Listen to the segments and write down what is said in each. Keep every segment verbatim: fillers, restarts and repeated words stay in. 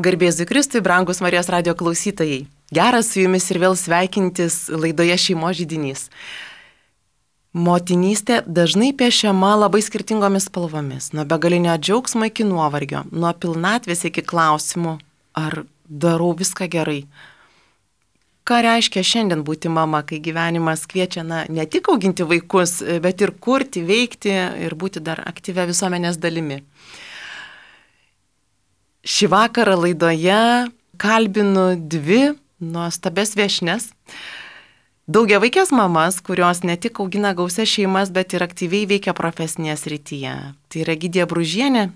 Garbėzui Kristui, brangus Marijos radijo klausytojai. Geras su jumis ir vėl sveikintis laidoje Šeimos židinys. Motinystė dažnai piešiama labai skirtingomis spalvomis, nuo begalinio džiaugsmo iki nuovargio, nuo pilnatvės iki klausimų, ar darau viską gerai. Ką reiškia šiandien būti mama, kai gyvenimas kviečia na, ne tik auginti vaikus, bet ir kurti, veikti ir būti dar aktyvia visuomenės dalimi. Šį vakarą laidoje kalbinu dvi nuostabes viešnes. Daugiavaikės mamas, kurios ne tik augina gausias šeimas, bet ir aktyviai veikia profesinėje srityje. Tai yra Egidija Bružienė,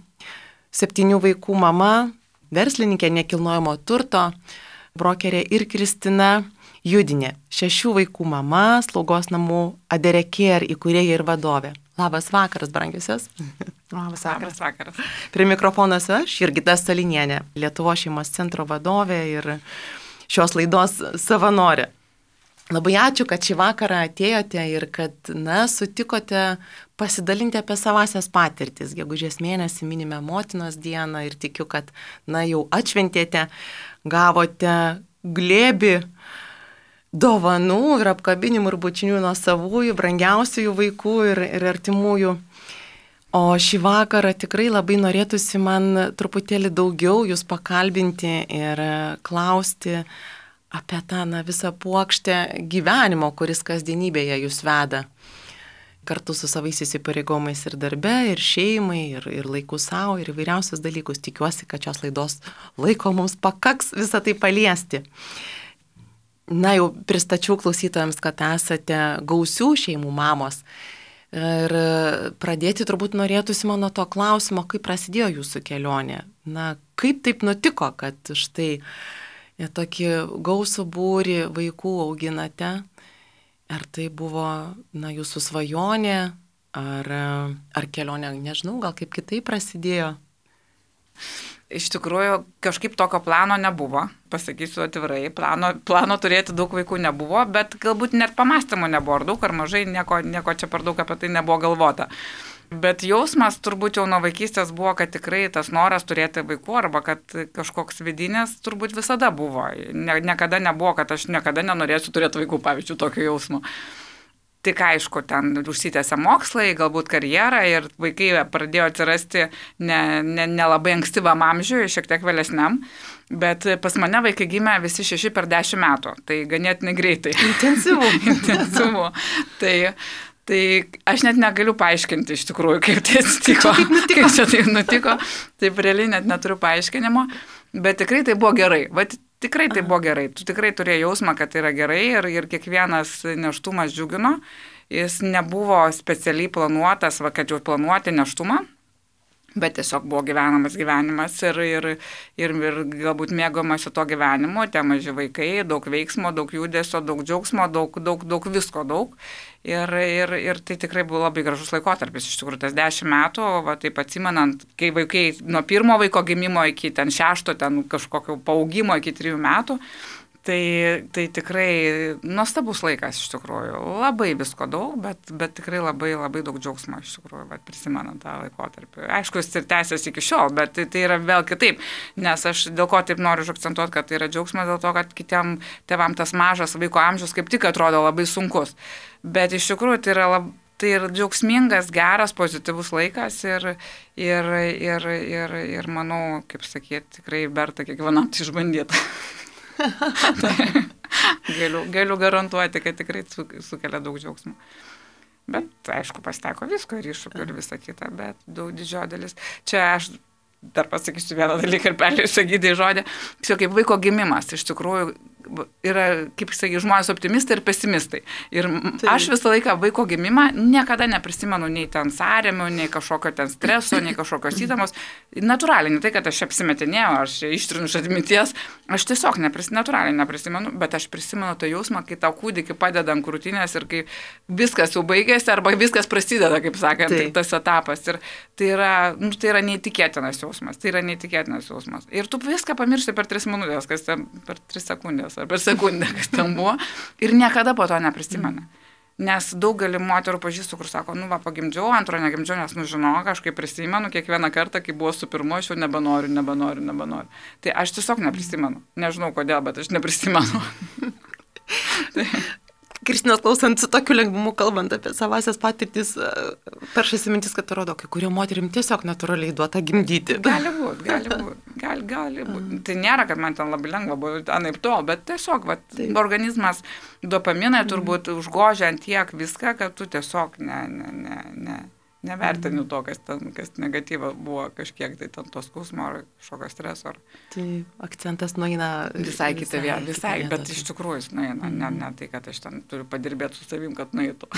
septynių vaikų mama, verslininkė nekilnojamo turto, brokerė, ir Kristina Judinė, šešių vaikų mama, slaugos namų Aderekėr įkūrėja ir vadovė. Labas vakaras, brangiusios. Labas vakaras. vakaras. Prie mikrofonas aš, Jurgita Stalinienė, Lietuvos šeimos centro vadovė ir šios laidos savanorė. Labai ačiū, kad šį vakarą atėjote ir kad, na, sutikote pasidalinti apie savasias patirtis. Gegužės mėnesį minime motinos dieną ir tikiu, kad, na, jau atšventėte, gavote glėbį dovanų ir apkabinimų ir bučinių nuo savųjų, brangiausiųjų vaikų ir, ir artimųjų. O šį vakarą tikrai labai norėtųsi man truputėlį daugiau jūs pakalbinti ir klausti apie tą na, visą puokštę gyvenimo, kuris kasdienybėje jūs veda. Kartu su savais įsipareigomais ir darbe, ir šeimai, ir, ir laiku savo, ir įvairiausius dalykus. Tikiuosi, kad šios laidos laiko mums pakaks visą tai paliesti. Na, jau pristačiau klausytojams, kad esate gausių šeimų mamos. Ir pradėti turbūt norėtųsi man nuo to klausimo, kaip prasidėjo jūsų kelionė. Na, kaip taip nutiko, kad štai tokį gausų būrį vaikų auginate? Ar tai buvo, na, jūsų svajonė, ar, ar kelionė, nežinau, gal kaip kitaip prasidėjo? Iš tikrųjų, kažkaip tokio plano nebuvo, pasakysiu atvirai, plano, plano turėti daug vaikų nebuvo, bet galbūt net pamastymų nebuvo, ar daug ar mažai, nieko, nieko čia per daug apie tai nebuvo galvota. Bet jausmas turbūt jau nuo vaikystės buvo, kad tikrai tas noras turėti vaikų arba kad kažkoks vidinės turbūt visada buvo. Ne, niekada nebuvo, kad aš niekada nenorėsiu turėti vaikų, pavyzdžiui, tokio jausmo. Tik aišku, ten užsitęsė mokslai, galbūt karjera ir vaikai pradėjo atsirasti ne, ne, ne labai ankstyvam amžiui, šiek tiek vėlesniam, bet pas mane vaikai gimė visi šeši per dešimt metų, tai ganėtinai greitai. Intensyvu. Intensyvu. Tai, tai aš net negaliu paaiškinti iš tikrųjų, kaip tai atsitiko, kaip, kaip čia tai nutiko, taip realiai net neturiu paaiškinimo, bet tikrai tai buvo gerai. Vat, Tikrai tai buvo gerai, tu tikrai turėjai jausmą, kad tai yra gerai ir, ir kiekvienas nėštumas džiugino, jis nebuvo specialiai planuotas, va, kad jau planuoti nėštumą, bet tiesiog buvo gyvenamas gyvenimas ir, ir, ir, ir galbūt mėgomasi to gyvenimo, tie maži vaikai, daug veiksmo, daug judesio, daug džiaugsmo, daug, daug, daug visko daug. Ir, ir, ir tai tikrai buvo labai gražus laikotarpis, iš tikrųjų, tas dešimt metų, va, taip atsimenant, kai vaikai nuo pirmo vaiko gimimo iki ten šešto, ten kažkokio paaugimo iki trijų metų, tai, tai tikrai nuostabus laikas, iš tikrųjų, labai visko daug, bet, bet tikrai labai, labai daug džiaugsmo, iš tikrųjų, bet prisimenant tą laikotarpį. Aišku, jis ir tęsiasi iki šiol, bet tai, tai yra vėl kitaip, nes aš dėl ko taip noriu akcentuoti, kad tai yra džiaugsmas, dėl to, kad kitiem tėvam tas mažas vaiko amžius kaip tik atrodo labai sunkus. Bet iš tikrųjų tai yra, lab, tai yra džiaugsmingas, geras, pozityvus laikas ir, ir, ir, ir, ir manau, kaip sakyti, tikrai verta kiekvienam tai išbandyti. galiu, galiu garantuoti, kad tikrai sukelia daug džiaugsmų. Bet, aišku, pasiteko visko ir iššūkių ir visą kitą, bet daug didžioji dalis. Čia aš dar pasakysiu vieną dalyką ir perleisiu Egidijai žodį. Tiesiog kaip vaiko gimimas, iš tikrųjų, yra, kaip sakai, žmonės optimistai ir pesimistai. Ir tai. Aš visą laiką vaiko gimimą niekada neprisimenu nei ten sąrėmių, nei kažkokio ten streso, nei kažkokios įtamos. Natūraliai, ne tai, kad aš apsimetinėjau, aš ištrinu iš atminties, aš tiesiog nepris, natūraliai neprisimenu, bet aš prisimenu tą jausmą, kai tau kūdikį padeda ant krūtinės ir kai viskas jau baigėsi arba viskas prasideda, kaip sakant, tai. Tas etapas. Ir tai yra, nu, tai yra neįtikėtinas jausmas, tai yra neįtikėtinas jausmas. Ir tu viską pamiršti per tris minutės, kas ten per tris sekundės. Ar per sekundę, kas ten buvo, ir niekada po to neprisimena. Nes daugelį moterų pažįstu, kur sako, nu va, pagimdžiau, antro negimdžiau, nes, nu, žinok, aš kaip prisimenu, kiekvieną kartą, kai buvo su pirmu, aš jau nebenoriu, nebenoriu, nebenoriu. Tai aš tiesiog neprisimenu. Nežinau kodėl, bet aš neprisimenu. tai... Kristinos klausant su tokiu lengvumu, kalbant apie savasias patirtis, peršasi mintis, kad rodo, kai kurio moterim tiesiog natūraliai duota gimdyti. Gali būti, gali būti, gali, gali būti. Tai nėra, kad man ten labai lengva buvo, anaip tol, bet tiesiog, va, organizmas dopaminai turbūt mm. užgožia ant tiek viską, kad tu tiesiog ne, ne, ne, ne, nevertini to, kas, ten, kas negatyva buvo kažkiek, tai ten tos skausmo ar kažkokio streso. Ar... Tai akcentas nueina visai kitą vietą, visai, visai bet iš tikrųjų jis nueina, mm. ne, ne tai, kad aš ten turiu padirbėti su savim, kad nueitų.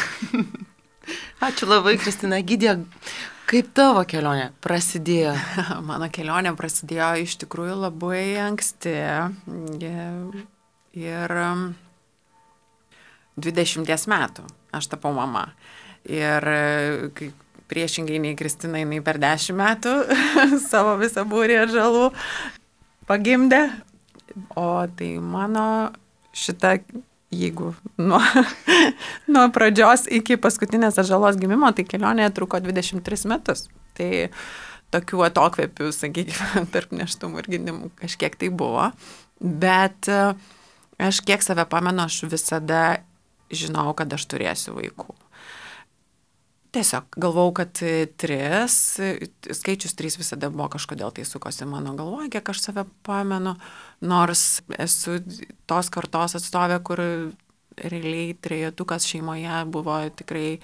Ačiū labai, Kristina. Gidė, kaip tavo kelionė prasidėjo? Mano kelionė prasidėjo iš tikrųjų labai anksti ir dvidešimties metų aš tapau mama. Ir kai priešingai nei Kristina, jinai per dešimt metų savo visą būrį atžalų pagimdė. O tai mano šita, jeigu nuo, nuo pradžios iki paskutinės atžalos gimimo, tai kelionė truko dvidešimt tris metus. Tai tokių atokvėpių, sakykime, tarp nėštumų ir gimdymų kažkiek tai buvo. Bet aš kiek save pamenu, aš visada žinau, kad aš turėsiu vaikų. Tiesiog galvau, kad tris, skaičius trys visada buvo kažkodėl tai sukosi mano galvoje, kiek aš save pamenu, nors esu tos kartos atstovė, kur realiai trejetukas šeimoje buvo tikrai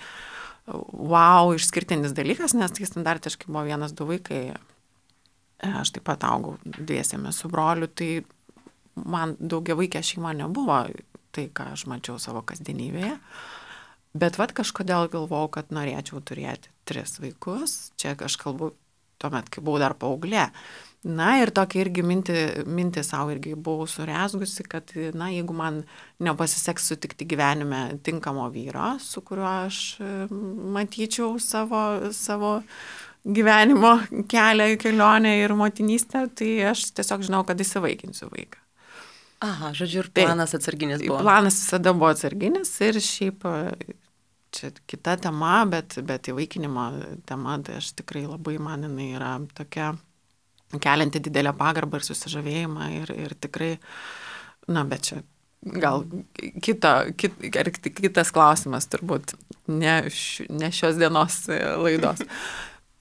wow, išskirtinis dalykas, nes tai standartiškai buvo vienas, du vaikai. Aš taip pat augau dviesėme su broliu, tai man daugiavaikė šeima nebuvo tai, ką aš mačiau savo kasdienybėje. Bet vat kažkodėl galvojau, kad norėčiau turėti tris vaikus. Čia aš kalbu tuomet, kai buvau dar paauglė. Na ir tokia irgi mintį, mintį savo irgi buvau surezgusi, kad na, jeigu man nepasiseks sutikti gyvenime tinkamo vyro, su kuriuo aš matyčiau savo, savo gyvenimo kelią, kelionę ir motinystę, tai aš tiesiog žinau, kad įsivaikinsiu vaiką. Aha, žodžiu, ir planas atsarginis buvo. Planas visada buvo atsarginis ir šiaip čia kita tema, bet, bet įvaikinimo tema, tai aš tikrai labai man jinai yra tokia kelianti didelę pagarbą ir susižavėjimą ir, ir tikrai, na, bet čia gal kita, kit, kitas klausimas turbūt, ne, š, ne šios dienos laidos.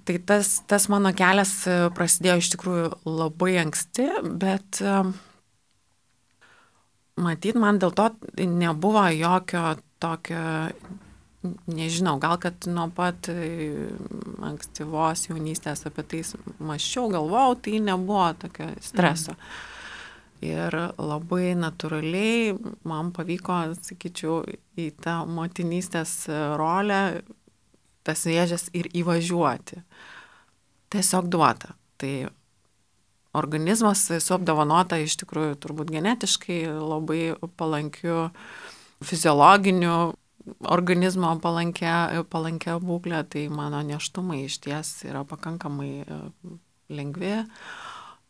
Tai tas, tas mano kelias prasidėjo iš tikrųjų labai anksti, bet matyt, man dėl to nebuvo jokio tokio, nežinau, gal kad nuo pat ankstyvos jaunystės apie tai mąsčiau, galvojau, tai nebuvo tokio streso. Mm. Ir labai natūraliai man pavyko, sakyčiau, į tą motinystės rolę, tas vėžes ir įvažiuoti. Tiesiog duota. Tai organizmas su apdovanota iš tikrųjų turbūt genetiškai labai palankiu fiziologiniu organizmo palankia, palankia būklė, tai mano nėštumai iš ties yra pakankamai lengvi.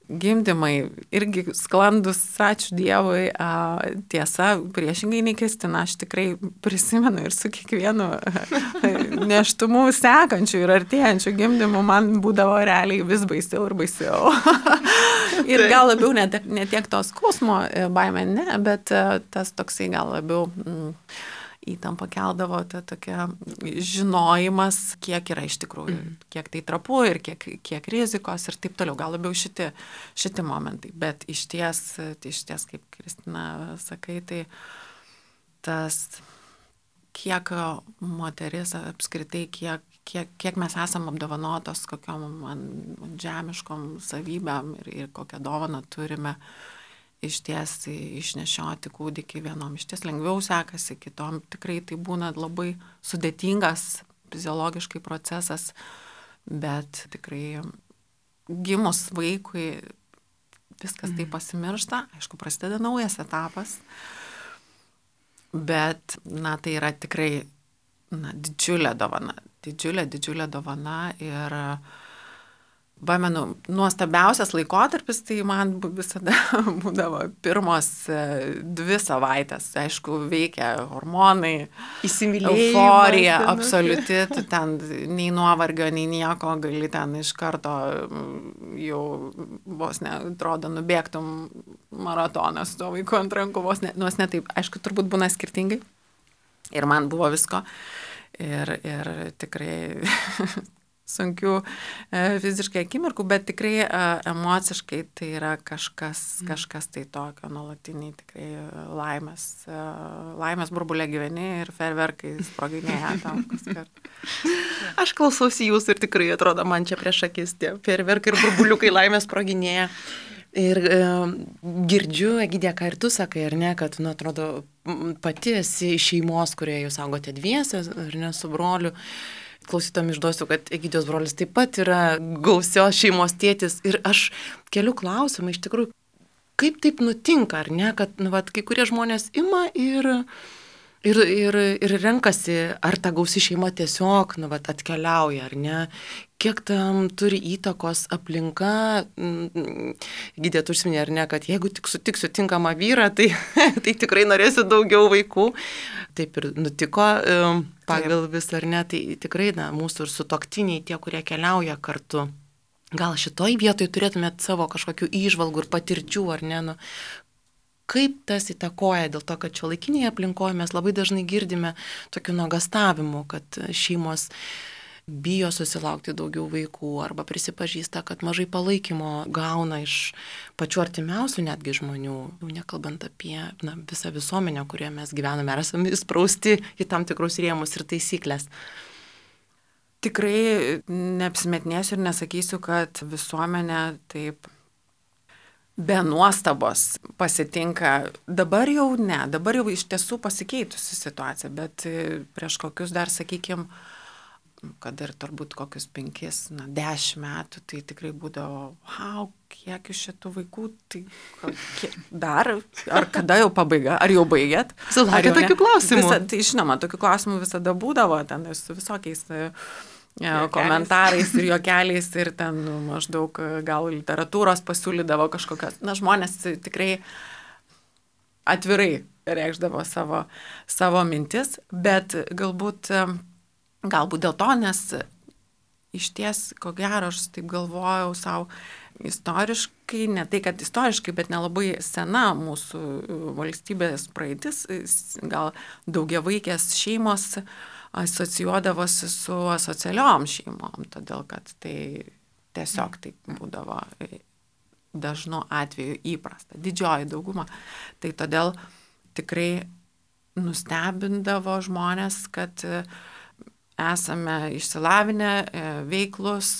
Gimdymai irgi sklandus, ačiū Dievui, tiesa, priešingai nei Kristina, aš tikrai prisimenu ir su kiekvienu nėštumu sekančiu ir artėjančiu gimdymu man būdavo realiai vis baisiau ir baisiau. Ir gal labiau ne, ne tiek to skausmo baimė, ne, bet tas toksai gal labiau mm, įtampa keldavo, ta tokia žinojimas, kiek yra iš tikrųjų, mm. kiek tai trapu ir kiek, kiek rizikos ir taip toliau, gal labiau šiti, šiti momentai. Bet iš ties, tai iš ties, kaip Kristina sakai, tai tas, kiek moteris apskritai, kiek, kiek, kiek mes esam apdovanotos kokiom man žemiškom savybėm ir, ir kokią dovaną turime, iš ties išnešioti kūdikį vienom iš ties lengviau sekasi, kitom tikrai tai būna labai sudėtingas fiziologiškai procesas, bet tikrai gimus vaikui viskas mm. tai pasimiršta, aišku, prasideda naujas etapas, bet, na, tai yra tikrai, na, didžiulė dovana, didžiulė, didžiulė dovana ir Pamenu, nuostabiausias laikotarpis, tai man visada būdavo pirmos dvi savaitės. Aišku, veikia hormonai, euforija, absoliuti, tu ten nei nuovargio, nei nieko, gali ten iš karto jau vos ne, atrodo, nubėgtum maratoną su to vaiku ant rankų, vos ne, nors ne taip, aišku, turbūt būna skirtingai. Ir man buvo visko. Ir, ir tikrai sunkių e, fiziškai akimirkų, bet tikrai e, emociškai tai yra kažkas, mm. kažkas tai tokio, nuolatiniai tikrai laimės, e, laimės burbulė gyveni ir ferverkai sproginėja tam kaskart. Aš klausausi jūsų ir tikrai atrodo man čia prieš akis tie ferverkai ir burbuliukai laimės sproginėja. Ir e, girdžiu, Egidija, ką ir tu sakai, ar ne, kad, nu, atrodo, pati esi iš šeimos, kurioje jūs augote dviese, ar ne, su broliu. Klausytom išduosiu, kad Egidijos brolis taip pat yra gausios šeimos tėtis. Ir aš keliu klausimą, iš tikrųjų, kaip taip nutinka, ar ne, kad, nu, vat, kai kurie žmonės ima ir... Ir, ir, ir renkasi, ar ta gausi šeima tiesiog nu, vat, atkeliauja, ar ne, kiek tam turi įtakos aplinka. Gydė, tu užsiminė, ar ne, kad jeigu tik sutiksiu tinkamą vyrą, tai, tai tikrai norėsiu daugiau vaikų. Taip ir nutiko pagal vis, ar ne, tai tikrai na, mūsų ir sutuoktiniai, tie, kurie keliauja kartu. Gal šitoj vietoj turėtumėt savo kažkokių įžvalgų ir patirčių, ar ne, nu, kaip tas įtakoja, dėl to, kad šiuolaikinėje aplinkoje mes labai dažnai girdime tokių nuogąstavimų, kad šeimos bijo susilaukti daugiau vaikų arba prisipažįsta, kad mažai palaikymo gauna iš pačių artimiausių netgi žmonių, nekalbant apie na, visą visuomenę, kurioje mes gyvename, ar esame įsprausti į tam tikrus rėmus ir taisyklės. Tikrai neapsimetinėsiu ir nesakysiu, kad visuomenė taip be nuostabos pasitinka. Dabar jau ne, dabar jau iš tiesų pasikeitusi situacija, bet prieš kokius dar, sakykime, kad ir turbūt kokius penkis, na, dešimt metų, tai tikrai būdavo, wow, kiek iš šitų vaikų, tai kiek, dar, ar kada jau pabaiga, ar jau baigėt? Sulaukė tokių klausimų. Visa, tai žinoma, tokių klausimų visada būdavo, ten su visokiais Ja, komentarais ir juokeliais ir ten nu, maždaug gal literatūros pasiūlydavo kažkokios. Na, žmonės tikrai atvirai reikšdavo savo, savo mintis, bet galbūt, galbūt dėl to, nes iš ties, ko gero, aš taip galvojau savo istoriškai, ne tai, kad istoriškai, bet nelabai sena mūsų valstybės praeitis, gal daugiavaikės šeimos asocijuodavosi su asocialiom šeimom, todėl kad tai tiesiog taip būdavo dažnu atveju įprasta, didžioji dauguma. Tai todėl tikrai nustebindavo žmonės, kad esame išsilavinę, veiklus,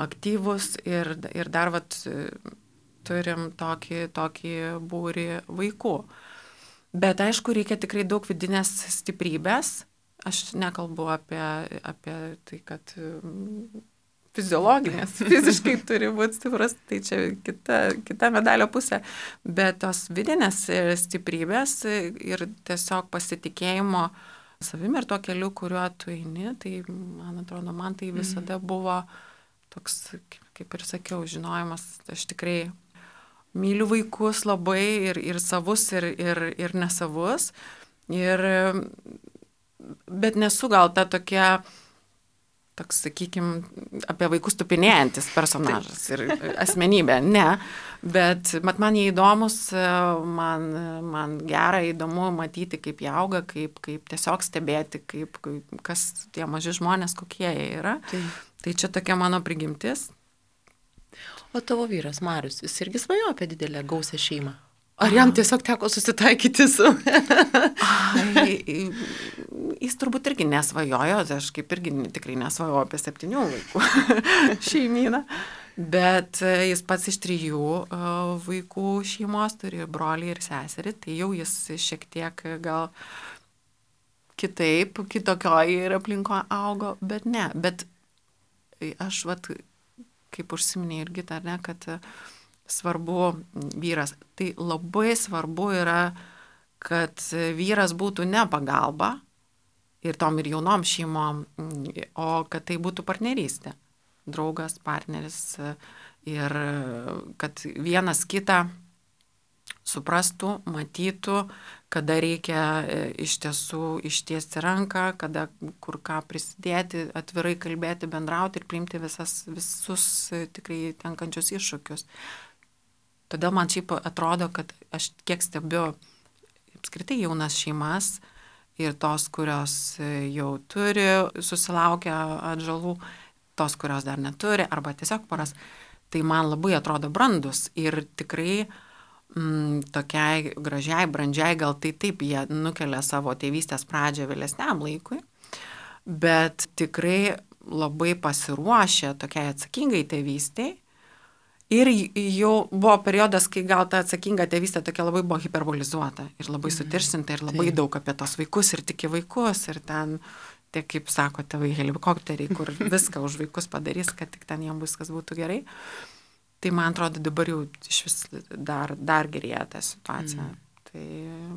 aktyvus ir, ir dar vat, turim tokį, tokį būrį vaikų. Bet aišku, reikia tikrai daug vidinės stiprybės. Aš nekalbu apie, apie tai, kad fiziologinės, fiziškai turi būti stiprus, tai čia kita, kita medalio pusė. Bet tos vidinės stiprybės ir tiesiog pasitikėjimo savimi ir tuo keliu, kuriuo tu eini, tai man atrodo, man tai visada buvo toks, kaip ir sakiau, žinojimas, aš tikrai myliu vaikus labai ir, ir savus, ir, ir, ir nesavus. Ir, bet nesu gal ta tokia, toks, sakykime, apie vaikus tupinėjantis personažas ir asmenybė. Ne, bet mat, man jie įdomus, man, man gera, įdomu matyti, kaip jie auga, kaip, kaip tiesiog stebėti, kaip, kaip, kas tie maži žmonės, kokie jie yra. Tai, tai čia tokia mano prigimtis. O tavo vyras Marius, jis irgi svajojo apie didelę gausią šeimą? Ar jam tiesiog teko susitaikyti su... Ai, jis turbūt irgi nesvajojo, aš kaip irgi tikrai nesvajoju apie septynių vaikų šeimyną, bet jis pats iš trijų vaikų šeimos turi brolį ir seserį, tai jau jis šiek tiek gal kitaip, kitokioj ir aplinko augo, bet ne, bet aš vat... kaip užsiminė irgi, ar ne, kad svarbu vyras. Tai labai svarbu yra, kad vyras būtų ne pagalba ir tom ir jaunom šeimom, o kad tai būtų partnerystė. draugas, partneris ir kad vienas kitą suprastų, matytų, kada reikia iš tiesų ištiesti ranką, kada kur ką prisidėti, atvirai kalbėti, bendrauti ir priimti visas, visus tikrai tenkančius iššūkius. Todėl man šiaip atrodo, kad aš kiek stebiu apskritai jaunas šeimas ir tos, kurios jau turi susilaukę atžalų, tos, kurios dar neturi, arba tiesiog poras, tai man labai atrodo brandus ir tikrai mm, tokiai gražiai, brandžiai, gal tai taip jie nukelia savo tėvystės pradžią vėlesniam laikui, bet tikrai labai pasiruošę tokiai atsakingai tėvystei. Ir jau buvo periodas, kai gal ta atsakinga tėvystė tokia labai buvo hiperbolizuota ir labai sutiršinta ir labai daug apie tos vaikus ir tik į vaikus ir ten, tie, kaip sako tėvai, helikopteriai, kur viską už vaikus padarys, kad tik ten jiems viskas būtų gerai. Tai man atrodo dabar jau iš vis dar, dar gerėja ta situacija. Mm. Tai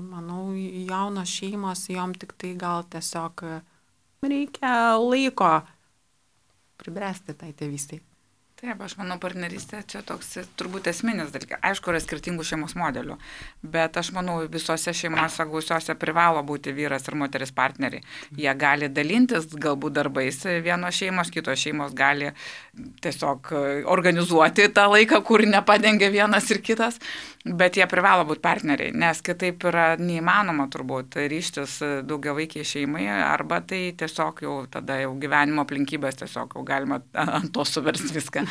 manau, jaunos šeimos, jom tik tai gal tiesiog reikia laiko pribręsti tai tėvystei. Taip, aš manau, partnerystė čia toks turbūt esminis dalykas. Aišku, yra skirtingų šeimos modelių, bet aš manau, visose šeimose gausiose privalo būti vyras ir moteris partneriai. Jie gali dalintis galbūt darbais, vienos šeimos, kitos šeimos gali tiesiog organizuoti tą laiką, kur nepadengia vienas ir kitas, bet jie privalo būti partneriai, nes kitaip yra neįmanoma turbūt ryštis daugiavaikiai šeimai, arba tai tiesiog jau tada jau gyvenimo aplinkybės tiesiog jau galima ant to suversti viską.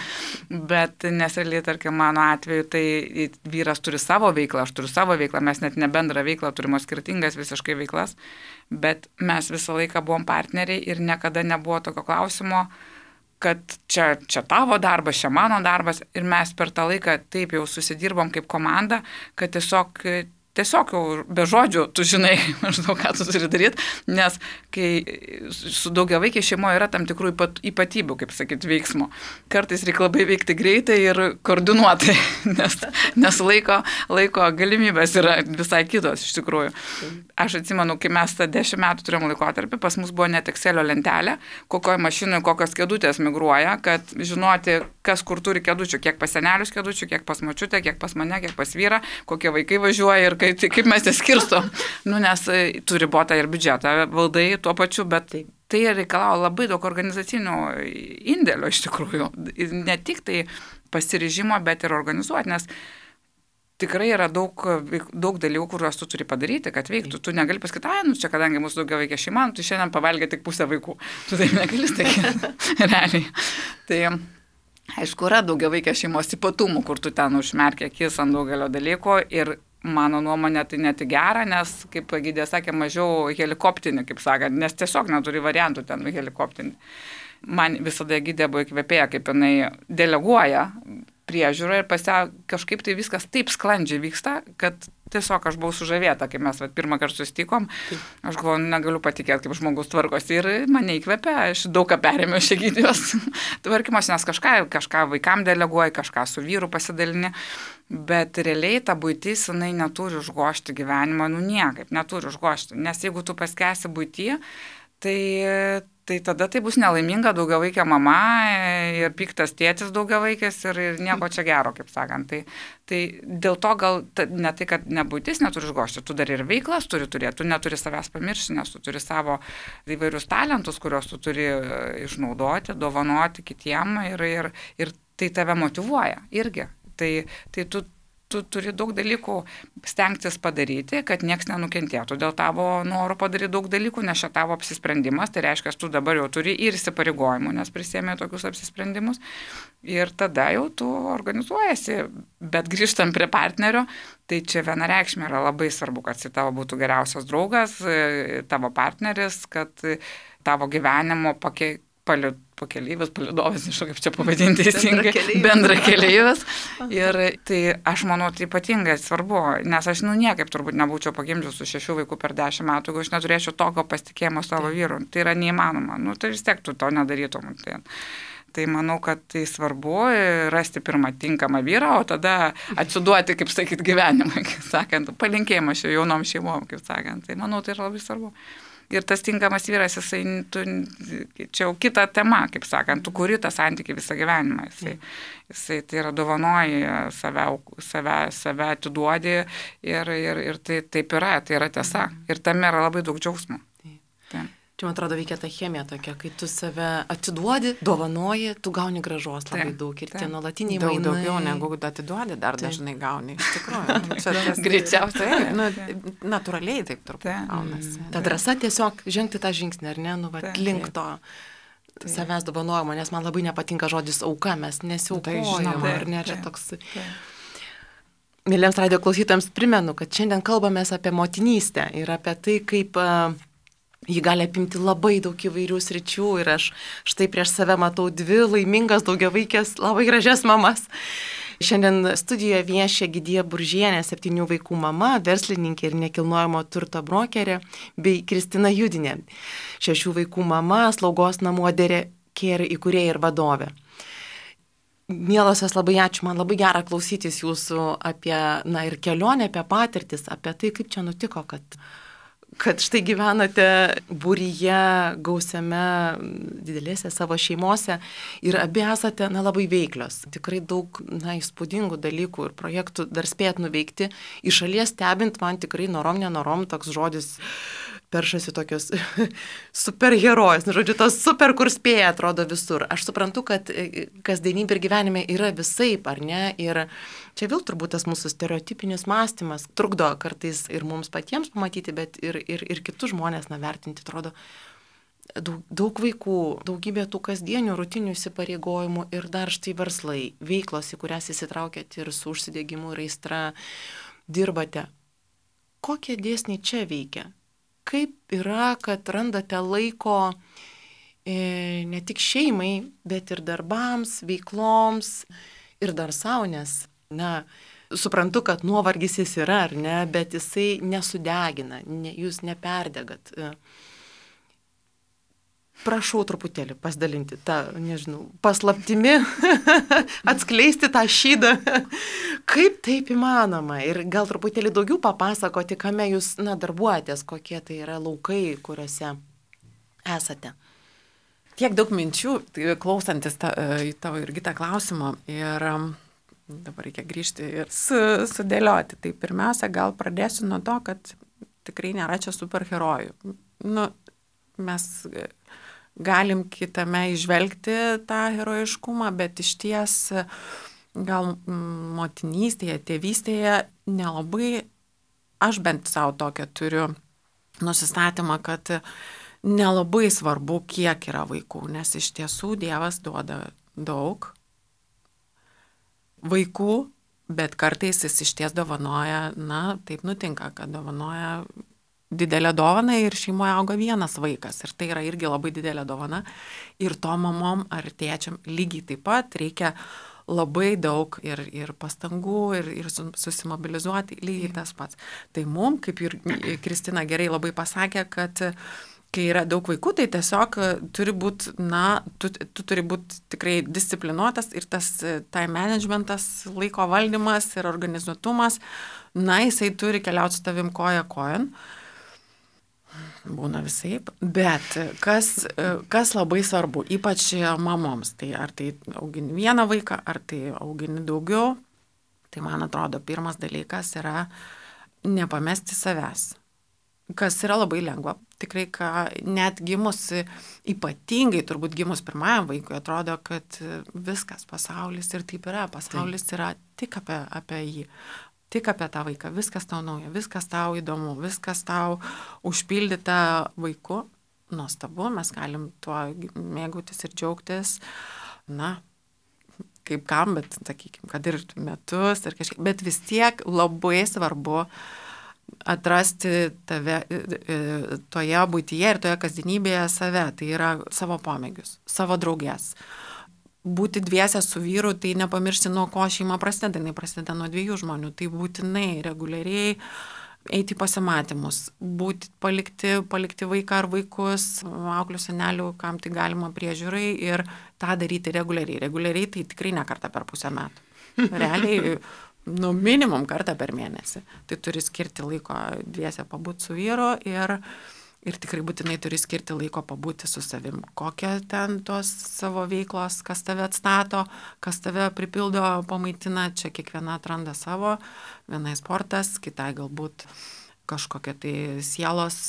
Bet nesrealiai, tarkim, mano atveju, tai vyras turi savo veiklą, aš turiu savo veiklą, mes net ne bendrą veiklą, turime skirtingas visiškai veiklas, bet mes visą laiką buvom partneriai ir niekada nebuvo tokio klausimo, kad čia, čia tavo darbas, čia mano darbas ir mes per tą laiką taip jau susidirbom kaip komanda, kad tiesiog Tiesiog jau be žodžių tu žinai, maždaug, ką tu turi daryti, nes kai su daugiavaikiai šeimoje yra tam tikrų ypatybių, kaip sakyti, veiksmo. Kartais reikia labai veikti greitai ir koordinuotai, nes, nes laiko, laiko galimybės yra visai kitos iš tikrųjų. Aš atsimenu, kai mes tą dešimt metų turėjom laikotarpį, pas mus buvo net Excelio lentelė, kokioje mašinoje kokios kėdutės migruoja, kad žinoti, kas kur turi kėdučių, kiek pas senelius kėdučių, kiek pas močiutę, kiek pas mane, kiek pas vyrą, kokie vaikai važiuoja ir kaip, kaip mes jas skirstom. Nu, nes turi ribotą ir biudžetą valdai tuo pačiu, bet tai, tai reikalauja labai daug organizacinių indėlių iš tikrųjų. Ne tik tai pasiryžimo, bet ir organizuoti, nes tikrai yra daug, daug dalykų, kuriuos tu turi padaryti, kad veiktų. Tu negali pasakyti, ai, nu čia kadangi mūsų daugiavaikė šeima, tu šiandien pavalgė tik pusę vaikų. Tu taip negali sakyti, realiai. Tai aišku, yra daugiavaikė šeimos ypatumų, kur tu ten užmerkia akis ant daugelio dalykų ir mano nuomonė tai net gera, nes, kaip Gidė sakė, mažiau helikoptinį, kaip sakant, nes tiesiog neturi variantų ten helikoptinį. Man visada Gidė buvo įkvėpėja, kaip jinai deleguoja priežiūrą ir pasia kažkaip tai viskas taip sklandžiai vyksta, kad tiesiog aš buvau sužavėta, kai mes vat, pirmą kartą susitikom, aš galvoju, negaliu patikėti, kaip žmogus tvarkosi ir mane įkvėpė, aš daug ką perėmiau iš Egidijos tvarkymosi, nes kažką, kažką vaikam deleguoji, kažką su vyru pasidalini, bet realiai ta buitis, jinai neturi užgošti gyvenimą, nu niekaip, neturi užgošti, nes jeigu tu paskesi buitį, tai tai tada tai bus nelaiminga daugiavaikė mama ir piktas tėtis daugiavaikės ir, ir nieko čia gero, kaip sakant. Tai, tai dėl to gal ta, ne tai, kad nebūtis neturi išgošti, tu dar ir veiklas turi turėti, tu neturi savęs pamiršti, nes tu turi savo įvairius talentus, kuriuos tu turi išnaudoti, dovanoti kitiem ir, ir, ir tai tave motyvuoja irgi. Tai, tai tu tu turi daug dalykų stengtis padaryti, kad nieks nenukentėtų dėl tavo noro padaryti daug dalykų, nes čia tavo apsisprendimas, tai reiškia, tu dabar jau turi ir įsipareigojimų, nes prisėmė tokius apsisprendimus ir tada jau tu organizuojasi, bet grįžtant prie partnerio, tai čia vienareikšmė yra labai svarbu, kad jis tavo būtų geriausias draugas, tavo partneris, kad tavo gyvenimo pakeitų pakeleivis, palidovas, nežinau kaip čia pavadinti teisingai, bendra keleivis. Ir tai aš manau, tai ypatingai svarbu, nes aš nu niekaip turbūt nebūčiau pagimdžius su šešių vaikų per dešimt metų, jeigu aš neturėčiau tokio pasitikėjimo savo vyru. Tai yra neįmanoma. Nu, tai vis tiek tu to nedarytum. Tai, tai manau, kad tai svarbu rasti pirmą tinkamą vyrą, o tada atsiduoti, kaip sakyt, gyvenimą, kaip sakant, palinkėjimą šio jaunom šeimom, kaip sakant. Tai manau, tai yra labai svarbu. ir tas tinkamas vyras, jisai, tu, čia jau kita tema, kaip sakant, tu kuri tą santykį visą gyvenimą. Jisai, jisai tai yra dovanoji, save, save, save atiduodi ir, ir, ir tai taip yra, tai yra tiesa. Ir tame yra labai daug džiaugsmo. Taip. Čia, man atrodo, veikia ta chemija tokia, kai tu save atiduodi, dovanoji, tu gauni gražos labai taip, daug ir taip. tie nuolatiniai Daug mainai. daugiau negu atiduodi, dar taip. Dažnai gauni, iš tikrųjų. Čia tas greičiausiai. Nu, natūraliai taip turbūt gaunasi. Ta drąsa tiesiog žengti tą žingsnį, ar ne, nu, va, taip, link to taip. savęs dovanojimo, nes man labai nepatinka žodis auka, mes nesiaukojame, žinoma, ar ne, čia taip, toks... taip. Mėlyms radio klausytojams primenu, kad šiandien kalbamės apie motinystę ir apie tai, kaip... Uh, Ji gali apimti labai daug įvairių sričių ir aš štai prieš save matau dvi laimingas daugiavaikės, labai gražias mamas. Šiandien studijoje viešia Gidija Buržienė, septynių vaikų mama, verslininkė ir nekilnojamo turto brokerė, bei Kristina Judinė, šešių vaikų mama, slaugos namų Adere Care įkūrėja ir vadovė. Mielosios, labai ačiū, man labai gera klausytis jūsų apie, na ir kelionę, apie patirtis, apie tai, kaip čia nutiko, kad... kad štai gyvenate būryje, gausiame, didelėse savo šeimose ir abi esate, na, labai veiklios. Tikrai daug, na, įspūdingų dalykų ir projektų dar spėjat nuveikti. Iš šalies stebint, man tikrai norom, nenorom toks žodis peršasi tokios superherojus. Žodžiu, tos super, kur spėja, atrodo visur. Aš suprantu, kad kasdienybė ir gyvenime yra visaip, ar ne? Ir čia vėl turbūt tas mūsų stereotipinis mąstymas trukdo kartais ir mums patiems pamatyti, bet ir, ir, ir kitus žmonės, na, vertinti, atrodo, daug, daug vaikų, daugybė tų kasdienių, rutinių įsipareigojimų ir dar štai verslai, veiklos, į kurias įsitraukėte ir su užsidegimu ir aistra dirbate. Kokie dėsniai čia veikia? Kaip yra, kad randate laiko e, ne tik šeimai, bet ir darbams, veikloms ir dar savo, nes, na, suprantu, kad nuovargis jis yra, ar ne, bet jisai nesudegina, ne, jūs neperdegat. Prašau truputėlį pasidalinti tą, nežinau, paslaptimi, atskleisti tą šydą. Kaip taip įmanoma? Ir gal truputėlį daugiau papasakoti, kame jūs, na, darbuojatės, kokie tai yra laukai, kuriuose esate. Tiek daug minčių, klausantis ta, į tavo irgi tą klausimą. Ir dabar reikia grįžti ir su, sudėlioti. Tai pirmiausia, gal pradėsiu nuo to, kad tikrai nėra čia superherojų. Nu, mes galim kitame išvelgti tą herojiškumą, bet iš ties gal motinystėje, tėvystėje nelabai, aš bent savo tokią turiu nusistatymą, kad nelabai svarbu, kiek yra vaikų, nes iš tiesų Dievas duoda daug vaikų, bet kartais jis iš ties dovanoja, na, taip nutinka, kad dovanoja didelę dovaną ir šeimoje auga vienas vaikas. Ir tai yra irgi labai didelė dovana. Ir to mamom ar tėčiam lygiai taip pat reikia labai daug ir, ir pastangų, ir, ir susimobilizuoti lygiai tas pats. Tai mum, kaip ir Kristina gerai labai pasakė, kad kai yra daug vaikų, tai tiesiog turi būti, na, tu, tu turi būti tikrai disciplinuotas ir tas time managementas, laiko valdymas ir organizuotumas, na, jisai turi keliauti su tavim koja kojon. Būna visaip, bet kas, kas labai svarbu, ypač mamoms, tai ar tai augini vieną vaiką, ar tai augini daugiau, tai man atrodo pirmas dalykas yra nepamesti savęs, kas yra labai lengva. Tikrai, ką net gimus, ypatingai turbūt gimus pirmajam vaikui, atrodo, kad viskas pasaulis ir taip yra, pasaulis yra tik apie, apie jį. Tik apie tą vaiką, viskas tau nauja, viskas tau įdomu, viskas tau užpildyta vaiku, nuostabu, mes galim tuo mėgautis ir džiaugtis, na, kaip kam, bet, sakykime, kad ir metus, ir kažkaip, bet vis tiek labai svarbu atrasti tave toje būtyje ir toje kasdienybėje save, tai yra savo pomėgius, savo draugės. Būti dviese su vyru, tai nepamiršti, nuo ko šeima prasideda, jinai prasideda nuo dviejų žmonių, tai būtinai reguliariai eiti į pasimatymus, būti, palikti, palikti vaiką ar vaikus, auklių senelių, kam tai galima priežiūrai ir tą daryti reguliariai. Reguliariai tai tikrai ne kartą per pusę metų. Realiai, nu, minimum kartą per mėnesį. Tai turi skirti laiko dviese pabūti su vyru ir Ir tikrai būtinai turi skirti laiko pabūti su savim. Kokie ten tos savo veiklos, kas tave atstato, kas tave pripildo, pamaitina, čia kiekviena atranda savo. Vienai sportas, kitai galbūt kažkokia tai sielos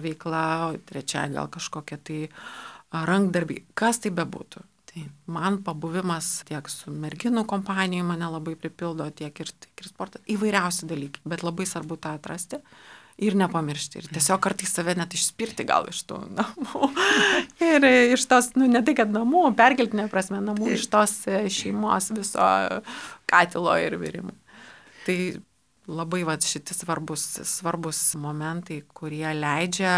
veikla, trečia gal kažkokia tai rankdarbiai. Kas tai bebūtų. Tai man pabuvimas tiek su merginų kompanijai mane labai pripildo, tiek ir, tiek ir sportas. Įvairiausi dalykai, bet labai svarbu tą atrasti. Ir nepamiršti. Ir tiesiog kartais save net išspirti gal iš tų namų. Ir iš tos, nu ne tai, kad namų, perkeltinė prasme, namų iš tos šeimos viso katilo ir virimo. Tai labai va, šitie svarbus, svarbus momentai, kurie leidžia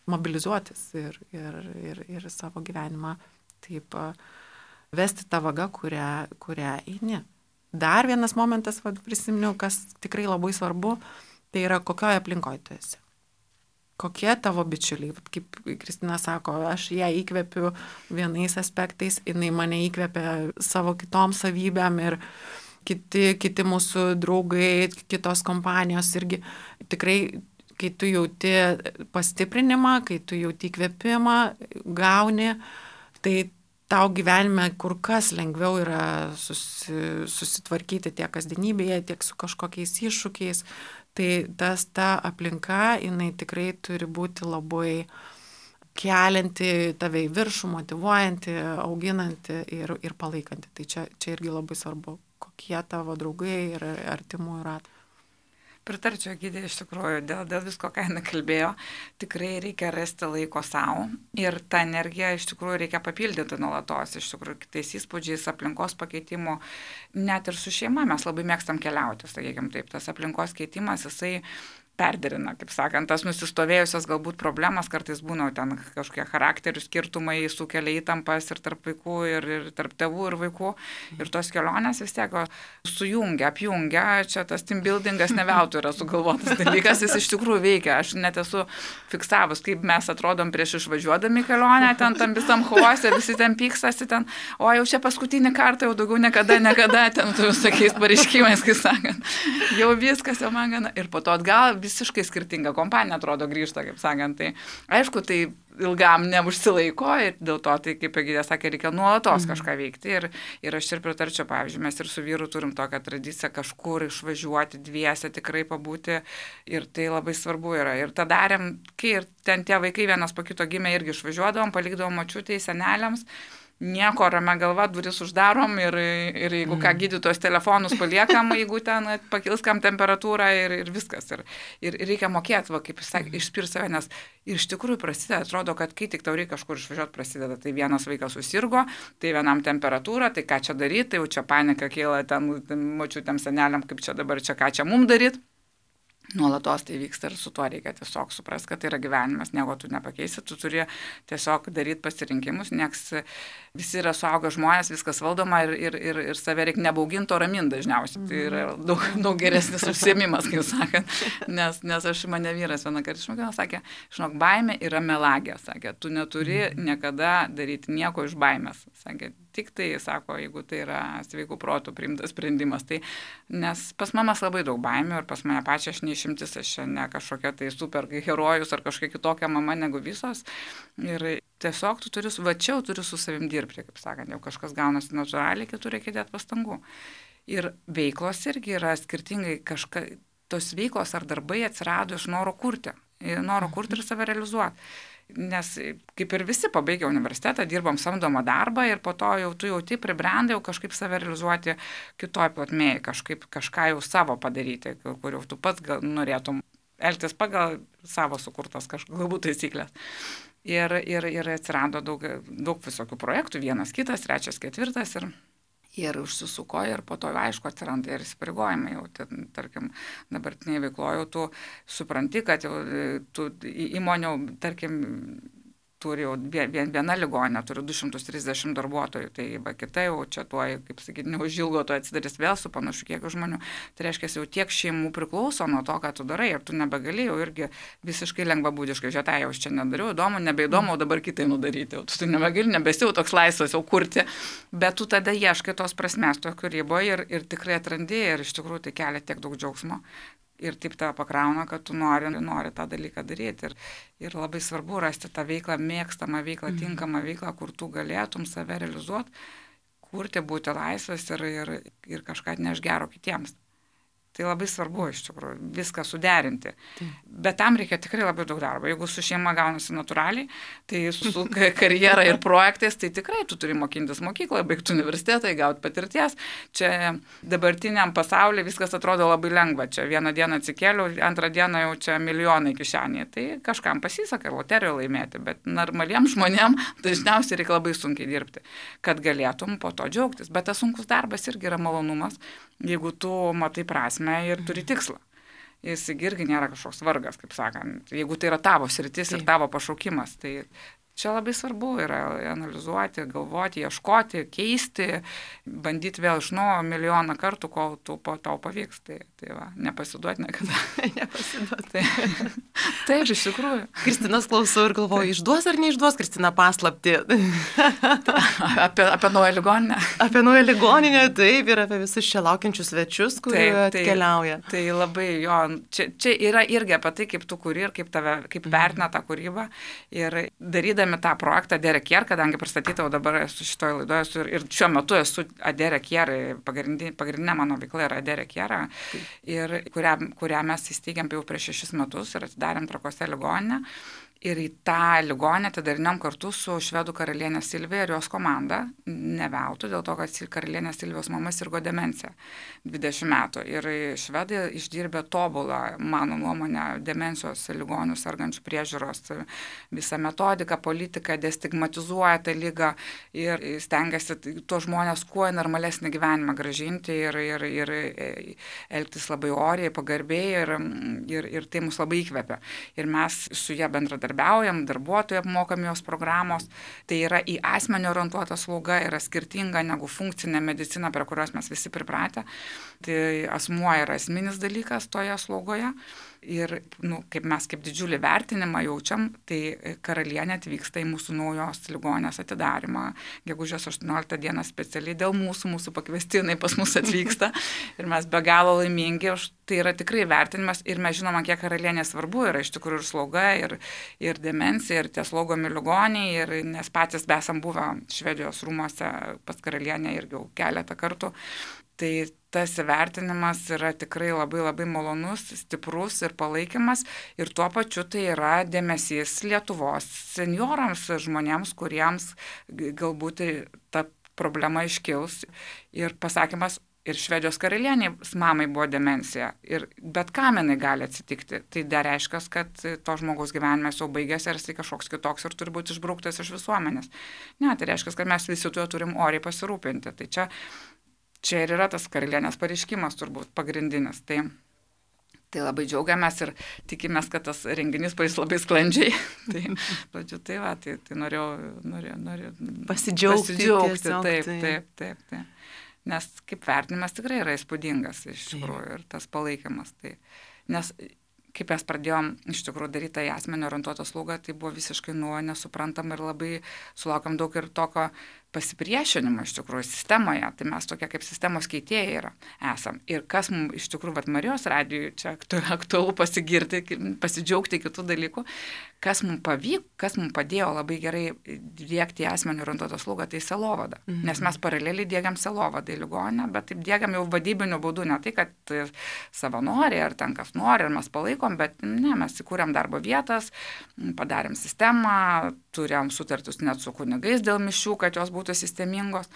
mobilizuotis ir, ir, ir, ir savo gyvenimą taip vesti tą vagą, kurią, kurią eini. Dar vienas momentas, va, prisiminiau, kas tikrai labai svarbu, tai yra kokioje aplinkoje tu esi. Kokie tavo bičiuliai. Kaip Kristina sako, aš ją įkvepiu vienais aspektais, jinai mane įkvepia savo kitom savybėm ir kiti, kiti mūsų draugai, kitos kompanijos irgi. Tikrai, kai tu jauti pastiprinimą, kai tu jauti įkvėpimą, gauni, tai tau gyvenime kur kas lengviau yra susi, susitvarkyti tiek kasdienybėje, tiek su kažkokiais iššūkiais. Tai tas ta aplinka, jinai tikrai turi būti labai kelianti tave į viršų, motyvuojanti, auginanti ir, ir palaikanti. Tai čia, čia irgi labai svarbu, kokie tavo draugai ir artimųjų ratai. Pritarčiau, Egidė, iš tikrųjų, dėl, dėl visko, ką jinai kalbėjo, tikrai reikia rasti laiko savo ir tą energiją iš tikrųjų reikia papildyti nuolatos, iš tikrųjų, kitais įspūdžiais, aplinkos pakeitimu, net ir su šeima mes labai mėgstam keliauti, sakykime taip, tas aplinkos keitimas, jisai perderina, kaip sakant, tas nusistovėjusios galbūt problemas, kartais būna ten kažkokie charakterių skirtumai, sukelia įtampas ir tarp vaikų, ir, ir tarp tėvų ir vaikų, ir tos kelionės vis tiek sujungia, apjungia, čia tas team buildingas ne veltui yra sugalvotas dalykas, jis iš tikrųjų veikia, aš net esu fiksavus, kaip mes atrodom prieš išvažiuodami kelionę, ten tam visam chaose, visi ten pykstasi, ten, o jau čia paskutinį kartą, jau daugiau niekada, niekada, ten tu visokiais pareiškimais, kaip sakant, jau viskas jau man gana, ir po to atgal visiškai skirtinga kompanija atrodo grįžta, kaip sakant. Tai aišku, tai ilgam neužsilaiko ir dėl to, tai kaip Egidė sakė, reikia nuolatos mm. kažką veikti. Ir, ir aš ir pritarčiau, pavyzdžiui, mes ir su vyru turim tokią tradiciją kažkur išvažiuoti dviese, tikrai pabūti ir tai labai svarbu yra. Ir tą darėm, kai ir ten tie vaikai vienas po kito gimė irgi išvažiuodavom, palikdavom močiutei, seneliams. Nieko, ramia galva, duris uždarom ir, ir jeigu ką, gydytojos telefonus paliekam, jeigu ten pakils kam temperatūrą ir, ir viskas. Ir, ir reikia mokėti, va, kaip jis sakė, išspirti save, nes iš tikrųjų prasideda, atrodo, kad kai tik tau reikia kažkur išvažiuoti, prasideda. Tai vienas vaikas susirgo, tai vienam temperatūra, tai ką čia daryti, tai jau čia panika kyla ten močiutėm seneliam, kaip čia dabar, čia ką čia mum daryti. Nuolatos tai vyksta ir su tuo reikia tiesiog suprasti, kad tai yra gyvenimas, nieko tu nepakeisi, tu turi tiesiog daryti pasirinkimus, nes visi yra suaugę žmonės, viskas valdoma ir, ir, ir, ir save reikia nebauginti, o raminti dažniausiai. Tai yra daug, daug geresnis užsiėmimas, kaip sakant, nes, nes aš mane vyras vieną kartą išmokino, sakė, žinok, baimė yra melagė, sakė, tu neturi niekada daryti nieko iš baimės, sakė. Tik tai, sako, jeigu tai yra sveikų protų priimtas sprendimas. Tai, nes pas mamas labai daug baimių ir pas mane pačią aš neišimtis, aš ne kažkokia tai super herojus ar kažkokia kitokia mama negu visos. Ir tiesiog tu turi, va čia turi su savim dirbti, kaip sakant, jau kažkas gaunasi natūraliai, kitur reikia dėti pastangų. Ir veiklos irgi yra skirtingai, kažka, tos veiklos ar darbai atsirado iš noro kurti, noro kurti ir save realizuoti. Nes kaip ir visi pabaigę universitetą, dirbom samdomą darbą ir po to jau tu jau taip pribrendai, jau kažkaip save realizuoti kitoj plotmėje, kažkaip kažką jau savo padaryti, kur jau tu pats gal norėtum elgtis pagal savo sukurtas kažkokias galbūt taisyklės. Ir, ir, ir atsirado daug, daug visokių projektų, vienas, kitas, trečias, ketvirtas ir... Ir užsisuko ir po to, aišku, atsiranda ir įsipareigojimai. Jau, ten, tarkim, dabartiniai veikloje tu supranti, kad jau tu įmonių, tarkim, turi jau viena ligoninė, turi du šimtus trisdešimt darbuotojų, tai va kita jau čia tuoj, kaip sakyti, neužilgo to atsidarys vėl su panašu kiekiu žmonių. Tai reiškia, jau tiek šeimų priklauso nuo to, ką tu darai ir tu nebegali jau irgi visiškai lengvabūdiškai, žiūrėtai, jau aš čia nedariau, įdomu, nebeįdomu, o dabar kitai nudaryti. Tu tai nebegali, nebesi jau toks laisvas jau kurti, bet tu tada ieškai tos prasmės to kūryboje ir, ir tikrai atrandi ir iš tikrųjų tai kelia tiek daug džiaugsmo, ir taip tave pakrauna, kad tu nori, nori tą dalyką daryti. Ir, ir labai svarbu rasti tą veiklą, mėgstamą veiklą, tinkamą veiklą, kur tu galėtum save realizuoti, kurti, būti laisvas ir, ir, ir kažką atneš gero kitiems. Tai labai svarbu iš tikrųjų viską suderinti. Tai. Bet tam reikia tikrai labai daug darbo. Jeigu su šeima gaunasi natūraliai, tai su karjera ir projektais, tai tikrai tu turi mokintis mokykloje, baigti universitetą, gauti patirties. Čia dabartiniam pasaulyje viskas atrodo labai lengva. Čia vieną dieną atsikėliau, antrą dieną jau čia milijonai kišenėje. Tai kažkam pasiseka loteriją laimėti, bet normaliems žmonėms dažniausiai reikia labai sunkiai dirbti, kad galėtum po to džiaugtis. Bet tas sunkus darbas irgi yra malonumas, jeigu tu matai prasmę ir turi tikslą. Jis irgi nėra kažkoks vargas, kaip sakant, jeigu tai yra tavo sritis ir tavo pašaukimas. Tai čia labai svarbu yra analizuoti, galvoti, ieškoti, keisti, bandyti vėl iš naujo milijoną kartų, kol tu, po tau pavyks. Tai, tai va, nepasiduoti niekada. Nepasiduoti. Tai, taip, iš tikrųjų. Kristinos klausau ir galvoju, išduos ar neišduos Kristina paslaptį? apie, apie naują ligoninę. Apie naują ligoninę, taip, ir apie visus čia laukiančius svečius, kurie taip, atkeliauja. Tai, tai labai jo, čia, čia yra irgi apie tai, kaip tu kuri ir kaip, tave, kaip vertina tą kūrybą. Ir darydami tą projektą Adere Care, kadangi pristatytau dabar esu šitoje laidoje esu ir, ir šiuo metu esu Adere Care, pagrindinė, pagrindinė mano veikla yra Adere Care, ir kurią, kurią mes įsteigėm jau prieš šešis metus ir atidarėm Trakuose ligoninę. Ir į tą ligonę atidarinėm kartu su švedų karalienė Silvija ir jos komanda, ne veltui, dėl to, kad karalienė Silvijos mama sirgo demencija dvidešimt metų. Ir švedai išdirbė tobulą, mano nuomonę, demencijos ligonių sergančių priežiūros visą metodiką, politiką, destigmatizuoja tą ligą ir stengiasi tuos žmonės kuo normalesnį gyvenimą grąžinti ir, ir, ir elgtis labai oriai, pagarbiai ir, ir, ir tai mus labai įkvepia. Ir mes su ją bendradarbiavome. Darbuotojai apmokami jos programos, tai yra į asmenį orientuota slauga, yra skirtinga negu funkcinė medicina, prie kurios mes visi pripratę. Tai asmuo yra esminis dalykas toje slaugoje. Ir nu, kaip mes kaip didžiulį vertinimą jaučiam, tai karalienė atvyksta į mūsų naujos ligonės atidarimą. Gegužės aštuonioliktą dieną specialiai dėl mūsų, mūsų pakviestinai pas mus atvyksta. Ir mes be galo laimingi, tai yra tikrai vertinimas ir mes žinoma, kiek karalienė svarbu yra iš tikrųjų ir slauga, ir, ir demencija, ir tie slaugomi ligoniai, ir, nes patys esam buvę Švedijos rūmose pas karalienę irgi jau keletą kartų. Tai tas įvertinimas yra tikrai labai labai malonus, stiprus ir palaikymas ir tuo pačiu tai yra dėmesys Lietuvos seniorams, žmonėms, kuriems galbūt ta problema iškils ir pasakymas ir Švedijos karalienės mamai buvo demencija ir bet kam jinai gali atsitikti. Tai dar reiškia, kad to žmogaus gyvenimas jau baigėsi ir jisai kažkoks kitoks ir turi būti išbrauktas iš visuomenės. Ne, tai reiškia, kad mes visi tuo turim oriai pasirūpinti. Tai čia Čia ir yra tas karalienės pareiškimas turbūt pagrindinis. Tai, tai labai džiaugiamės ir tikimės, kad tas renginys paės labai sklandžiai. Tai, žodžiu, tai va, tai, tai norėjau, norėjau, norėjau pasidžiaugti. pasidžiaugti tiesiog, taip, tai. taip, taip, taip. Nes kaip vertinimas tikrai yra įspūdingas iš tikrųjų ir tas palaikymas. Tai, nes kaip mes pradėjom iš tikrųjų daryti tą asmenį orientuotą slaugą, tai buvo visiškai nuo nesuprantama ir labai sulaukam daug ir tokio pasipriešinimo iš tikrųjų sistemoje, tai mes tokie kaip sistemos keitėjai yra, esam. Ir kas mums iš tikrųjų, vat Marijos radijui čia aktualu pasigirti, pasidžiaugti kitų dalykų, kas mums pavyko, kas mums padėjo labai gerai dėkti asmenį orientuotą slaugą, tai selovada. Mhm. Nes mes paraleliai dėgiam selovadą į ligoninę, bet taip dėgiam jau vadybiniu būdu, ne tai, kad savanoriai ar ten kas nori, ar mes palaikom, bet ne, mes įkūrėm darbo vietas, padarėm sistemą, turėjom sutartus net su kunigais dėl mišių, kad jos būtų sistemingos.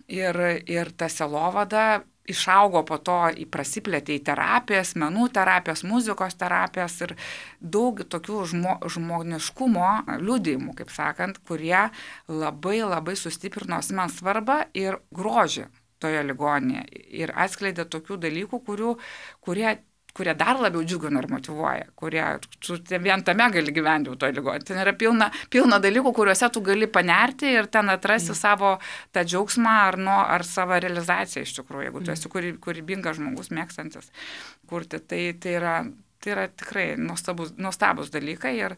Ir, ir ta selovada išaugo po to, prasiplėtė į terapijas, menų terapijas, muzikos terapijas ir daug tokių žmo, žmoniškumo liudijimų, kaip sakant, kurie labai labai sustiprino asmens svarbą ir grožį toje ligoninėje. Ir atskleidė tokių dalykų, kurių, kurie kurie dar labiau džiugina ir motyvuoja, kurie tu vien tame gali gyventi jau toje ligoninėje. Ten yra pilna, pilna dalykų, kuriuose tu gali panerti ir ten atrasti mm. savo tą džiaugsmą ar, nu, ar savo realizaciją iš tikrųjų, jeigu tu esi kūrybingas žmogus, mėgstantis kurti. Tai, tai, yra, tai yra tikrai nuostabus, nuostabus dalykai ir,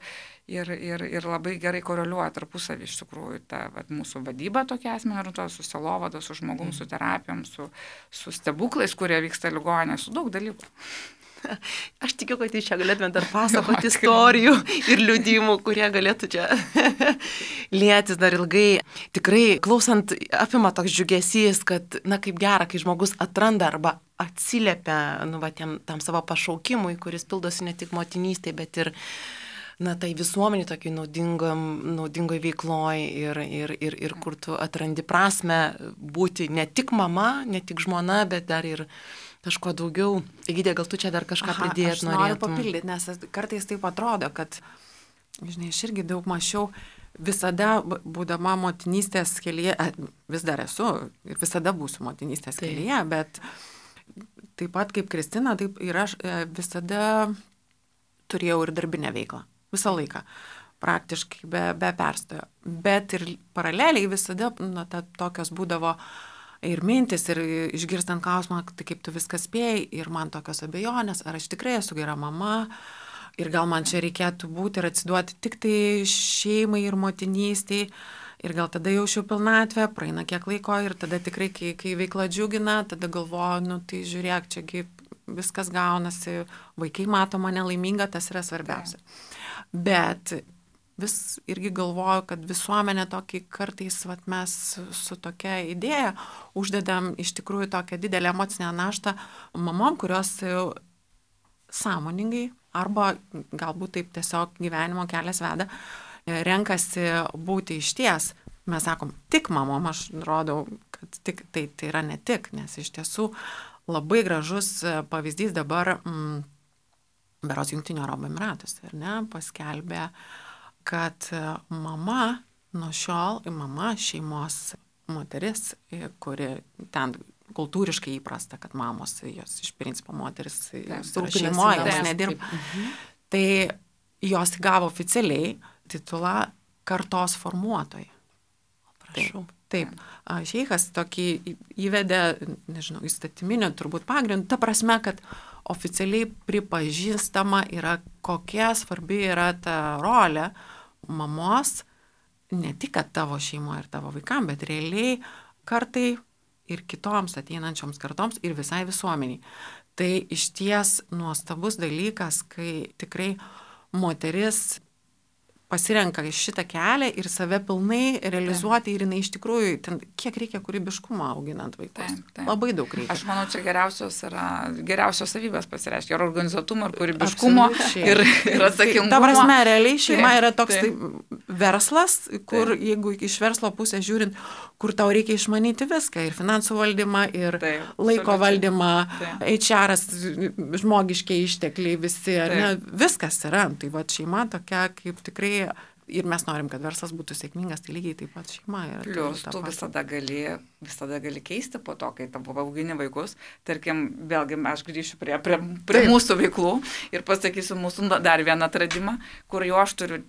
ir, ir, ir labai gerai koreliuoja tarpusavį iš tikrųjų ta vat, mūsų vadyba tokia asmenio orientuota, su selovada, su žmogum, mm. su terapijom, su, su stebuklais, kurie vyksta ligoninėje, su daug dalykų. Aš tikiu, kad jūs čia galėtumėte dar pasakoti istorijų ir liudijimų, kurie galėtų čia lietis dar ilgai. Tikrai, klausant, apima toks džiugesys, kad, na, kaip gera, kai žmogus atranda arba atsiliepia, nu, va, tiem, tam savo pašaukimui, kuris pildosi ne tik motinystėje, bet ir, na, tai visuomenį tokiai naudingoj veikloj ir, ir, ir, ir kur tu atrandi prasme būti ne tik mama, ne tik žmona, bet dar ir kažko daugiau. Egidė, gal tu čia dar kažką pridėt norėtum? Aš noriu papildyti, nes kartais taip atrodo, kad, žinai, aš irgi daug mačiau, visada būdama motinystės kelyje, vis dar esu ir visada būsiu motinystės taip. kelyje, bet taip pat kaip Kristina, taip ir aš visada turėjau ir darbinę veiklą. Visą laiką. Praktiškai be, be perstojo. Bet ir paraleliai visada, na, ta, tokios būdavo ir mintis, ir išgirstant klausimą, tai kaip tu viską spėjai, ir man tokios abejonės, ar aš tikrai esu gera mama, ir gal man čia reikėtų būti ir atsiduoti tik tai šeimai ir motinystiai, ir gal tada jaučiu pilnatvę, praeina kiek laiko, ir tada tikrai, kai, kai veikla džiugina, tada galvoju, nu tai žiūrėk, čiagi viskas gaunasi, vaikai mato mane laimingą, tas yra svarbiausia. Bet vis irgi galvoju, kad visuomenė tokį kartais vat, mes su tokia idėja uždedam iš tikrųjų tokią didelę emocinę naštą mamom, kurios sąmoningai arba galbūt taip tiesiog gyvenimo kelias veda, renkasi būti išties. Mes sakom, tik mamom, aš rodau, kad tik, tai, tai yra ne tik, nes iš tiesų labai gražus pavyzdys dabar mm, beros Jungtinių Arabų Emyratuose, ar ne, paskelbė, kad mama nuo šiol, mama šeimos moteris, kuri ten kultūriškai įprasta, kad mamos, jos iš principo moteris šeimoje, jos nedirba. Mhm. Tai jos gavo oficialiai titulą kartos formuotoja. Prašau. Taip, šeichas tokį įvedė, nežinau, įstatyminių turbūt pagrindų, ta prasme, kad oficialiai pripažįstama yra, kokia svarbi yra ta rolė mamos, ne tik kad tavo šeimoje ir tavo vaikam, bet realiai kartai ir kitoms ateinančioms kartoms ir visai visuomeniai. Tai iš ties nuostabus dalykas, kai tikrai moteris pasirenka šitą kelią ir save pilnai realizuoti ir jinai iš tikrųjų, ten, kiek reikia kūrybiškumo auginant vaikus. Taip, taip. Labai daug reikia. Aš manau, čia geriausios yra, geriausios savybės pasireiškia ir organizuotumo, ir kūrybiškumo, ir, ir atsakingumo. Ta prasme, realiai šeima taip, yra toks taip. Tai, verslas, kur taip. Jeigu iš verslo pusės žiūrint, kur tau reikia išmanyti viską, ir finansų valdymą, ir taip, laiko valdymą, H R, žmogiškiai ištekliai visi, ne, viskas yra. Tai va šeima tokia kaip tikrai ir mes norim, kad verslas būtų sėkmingas, tai lygiai taip pat šeima yra. Plius, tu visada gali, visada gali keisti po to, kai tavo augini vaikus. Tarkim, vėlgi aš grįšiu prie, prie, prie mūsų veiklų ir pasakysiu mūsų dar vieną atradimą, kur jo aš turiu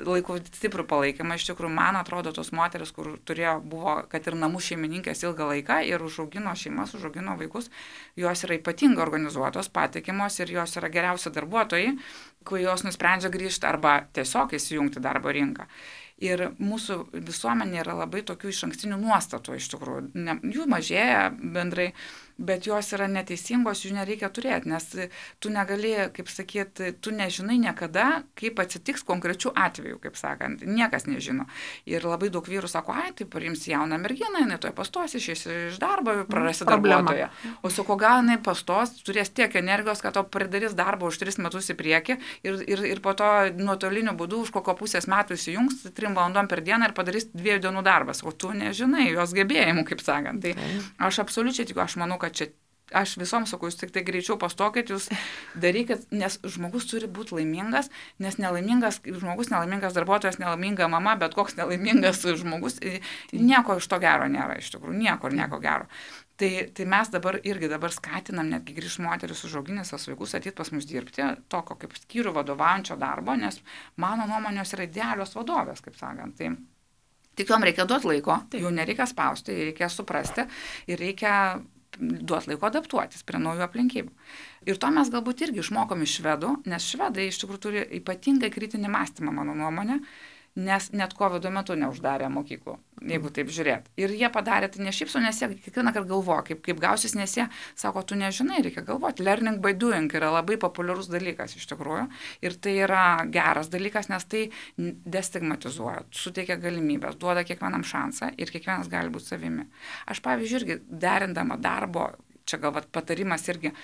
laikų stiprų palaikymą. Iš tikrųjų, man atrodo, tos moteris, kur turėjo, buvo, kad ir namų šeimininkės ilgą laiką ir užaugino šeimas, užaugino vaikus, jos yra ypatingai organizuotos, patikimos ir jos yra geriausi darbuotojai, kai jos nusprendžia grįžti arba tiesiog įsijungti darbo rinką. Ir mūsų visuomenė yra labai tokių išankstinių nuostatų, iš tikrųjų. Ne, jų mažėja bendrai, bet jos yra neteisingos, jų nereikia turėti, nes tu negali, kaip sakyti, tu nežinai niekada, kaip atsitiks konkrečių atvejų, kaip sakant, niekas nežino. Ir labai daug vyrų sako, ai, tai parimsi jauną merginą, jinai toje pastos, išeis iš darbo, prarasi darbuotoją. O su ko gal jinai pastos, turės tiek energijos, kad to pridarys darbą už tris metus į priekį ir, ir, ir po to nuotoliniu būdu už kokio pusės metų įsijungs trim valandom per dieną ir padarys dviejų dienų darbas, o tu nežinai jos gebėjimų, kaip sakant. Tai aš absoliučiai tikiu, aš manau, kad čia aš visoms sakau, jūs tik tai greičiau pastokit, jūs darykit, nes žmogus turi būti laimingas, nes nelaimingas žmogus, nelaimingas darbuotojas, nelaiminga mama, bet koks nelaimingas žmogus, nieko iš to gero nėra, iš tikrųjų, nieko ir nieko gero. Tai, tai mes dabar irgi dabar skatinam netgi grįžti moteris užauginęs savo vaikus ateit pas mus dirbti, tokio kaip skyrių vadovaujančio darbo, nes mano nuomonės yra idealios vadovės, kaip sakant. Tai tik jom reikia duoti laiko, jų nereikia spausti, reikia suprasti ir reikia duoti laiko adaptuotis prie naujų aplinkybių. Ir to mes galbūt irgi išmokom iš švedų, nes švedai iš tikrųjų turi ypatingai kritinį mąstymą, mano nuomonė. nes net kovido metu neuždarė mokyklų, jeigu taip žiūrėt. Ir jie padarė tai ne šiaip su, nes jie kiekvieną kartą galvoja, kaip, kaip gausis, nes jie sako, tu nežinai, reikia galvoti. Learning by doing yra labai populiarus dalykas iš tikrųjų. Ir tai yra geras dalykas, nes tai destigmatizuoja, suteikia galimybės, duoda kiekvienam šansą ir kiekvienas gali būti savimi. Aš, pavyzdžiui, irgi derindama darbo, čia gal vat patarimas irgi,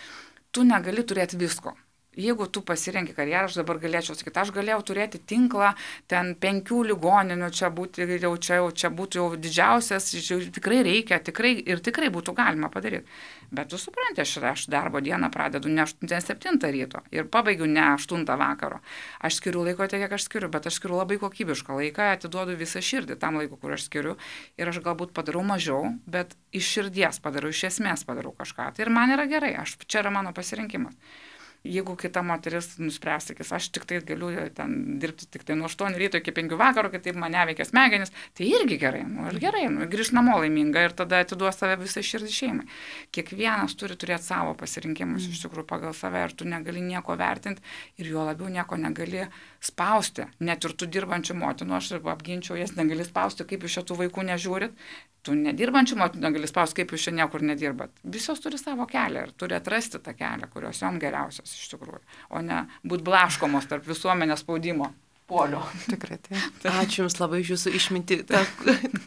tu negali turėti visko. Jeigu tu pasirenki karjerą, aš dabar galėčiau sakyti, aš galėjau turėti tinklą, ten penkių ligoninių, čia būtų jau čia, jau, čia būtų jau didžiausias, jau tikrai reikia, tikrai ir tikrai būtų galima padaryti. Bet tu supranti, aš, aš darbo dieną pradedu ne septintą ryto ir pabaigiu ne aštuntą vakaro. Aš skiriu laiko tiek, kiek aš skiriu, bet aš skiriu labai kokybišką laiką, atiduodu visą širdį tam laiku, kur aš skiriu. Ir aš galbūt padarau mažiau, bet iš širdies padarau, iš esmės padarau kažką. Tai ir man yra gerai, aš, čia yra mano pasirinkimas. Jeigu kita moteris nuspręs, sakys, aš tik tai galiu ten dirbti tik tai nuo aštuonių ryto iki penkių vakaro, kad taip mane veikia smegenis, tai irgi gerai, nu ir gerai, nu, grįž namo laiminga ir tada atiduos save visai širdį šeimai. Kiekvienas turi turėti savo pasirinkimus, iš tikrųjų pagal save ir tu negali nieko vertinti ir juo labiau nieko negali spausti. Net ir tu dirbančių motinų, aš apginčiau jas, negali spausti, kaip iš šitų vaikų nežiūrit. Tu nedirbančių motinų negali spausti, kaip jūs čia niekur nedirbat. Visos turi savo kelią ir turi atrasti tą kelią, kurios jom geriausios iš tikrųjų, o ne būt blaškomos tarp visuomenės spaudimo polio. Tikrai tai. Ačiū Jums labai už Jūsų išmintį, ta,